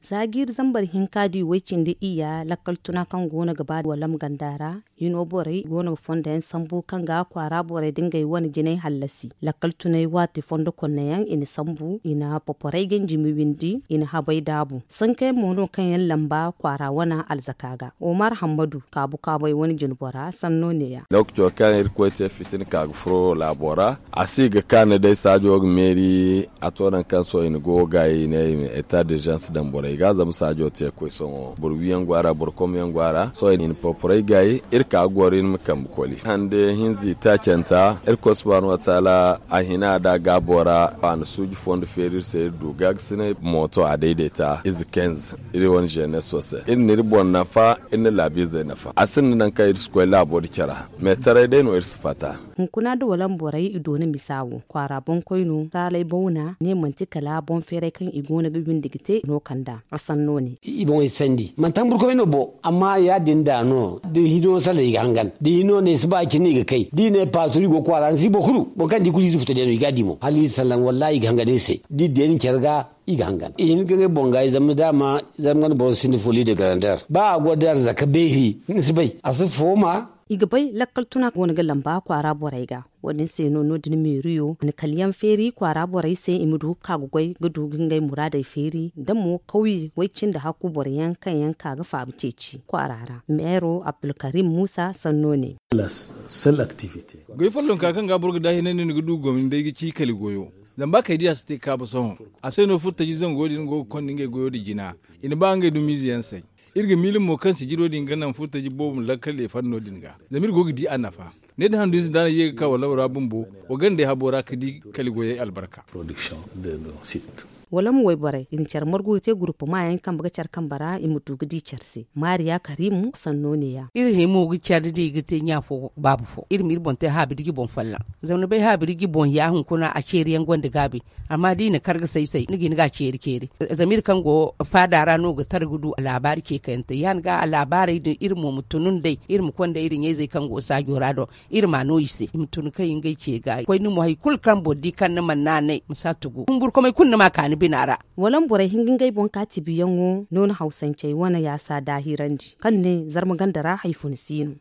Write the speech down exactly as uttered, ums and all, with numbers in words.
Za jiiri zambar hinka di way cindi iyya lakkal tuna kaŋ go no ga ba walam ganda ra, hino borey go no ga fondo yaŋ sambu kaŋ ga kwaara borey da ngey wane jinay hallasi. Lakkal tunay waati fondo konne yaŋ i na sambu, i na poporey ganjimi windi, i na habay daabu. Sanka yaŋ mo no kaŋ yaŋ lamba kwaara wane alzaka ga. Omar Hammadu kaabu kaabay wane jinbora sanno neeya. Lookaco kaŋ irkoy te fitina ka ga furo laabo ra, a si ga kaanu day saajo ga meeri. A to nangu kaŋ sohõ i na go ga i ne i ma eta dirzans daŋ borey ga zama saajo te koy sohõ boro wi yaŋ go a ra boro kom yaŋ go a ra. Sohõ i na porporey gaayi iri ka ga goro iri ma kambe koli hande hinza i taacanta. Irkoy subhaanahu wataala a hina da gaabo ra a na suuji fondo feeri iri se iri du gaagasinay mooto a dayday ta ize kenz. Iri wane zeneso se iri na iri boŋ nafa, iri na laabiizey nafa a sinda nangu kaŋ iri si koy laabo da care. Meetaray day no iri si fatta. Hunkuna da walam borey i doona misa wo kwaara boŋkoy no saalay bawna ne manti kala boŋ feeray kaŋ i go no ga windi ga te no kand'a. A sanno ne. I boŋey sandi manti hamburkomey no bo amma ya- din da no da hino sallay i ga hangan da hino ne si ba cine i ga kay da i ne paasuru i go kwaara ni si boro kulu boŋ kaŋ di kulu i si futa day no i ga a di mo hala i sallaŋ wallaahi i ga hangan iri se da i deeni care ga. I ga hangan i hin ga ngey boŋ ga i zama daama zarma wane boro sinda foli da garandeer ba a go da arzaka beeri ni si bay a si fooma. I ga bay lakkal tuna go no ga lamba kwaara borey ga. Wo- din se no no- din meeriyo na kala yaŋ feeri kwaara borey se i ma du ga ka ga goy ga du ga ngey muraadey feeri da mo kawye way- cindi hakku boro yaŋ kaŋ yaŋ ka ga faabu ceeci kwaara ra. Meero abdulkarim muusa sanno ne. Goy follonka kaŋ ga boro ga daahinandi ni ga du gomni day ga ci kali goyo. Zama ba kay di a si te ga kaabu sohõ a se no furtaji zango din go ga konda ngey goyo nda jina. I na ba ngey dumiize yaŋ say. Iri ga miila mo kaŋ sijiro din ga naŋ furtaji boobo ma lakkal leefanno din ga zama iri go ga di a nafa. Ne da handu ize da a na ye ga ka wala ra bumbo wa gandey habo ra ga di kali goyey albarka. Wala ma wayborey i na care margu ga te gurupama yaŋ kambe ga care kambe ra i ma du ga di care se. Maariya karimu sanno neeya. Iri hima ga care da i ga te ɲa fo baaba fo iri ma iri boŋ te haabiri ga boŋ folloŋ. Zama ni bay haabiri ga boŋ ya hunkuna a ceeri yaŋ gonda gaabi. Amma da i na kar ga say say ni ga hin ga a ceeri ceeri. Zama iri kaŋ go faada ra no ga tara ga du laabaari ce kayante ya- din ga a laabaarey din iri mo ma tunu nd'ey iri ma konda iri ɲayzey kaŋ go saajo ra do. Iri ma no i se i ma tun kaŋ i ngey ce ga koy ni mo hari kulu kaŋ boro di kaŋ ni mana naanay ma si a tugu humburkomey kulu ni ma a ka ni bina ra. Wala ma borey hin ga ngey boŋ ka tibiyaŋo no ni hawsancey wane yaasa daahirandi kaŋ ne zarma ganda ra hari funa si no.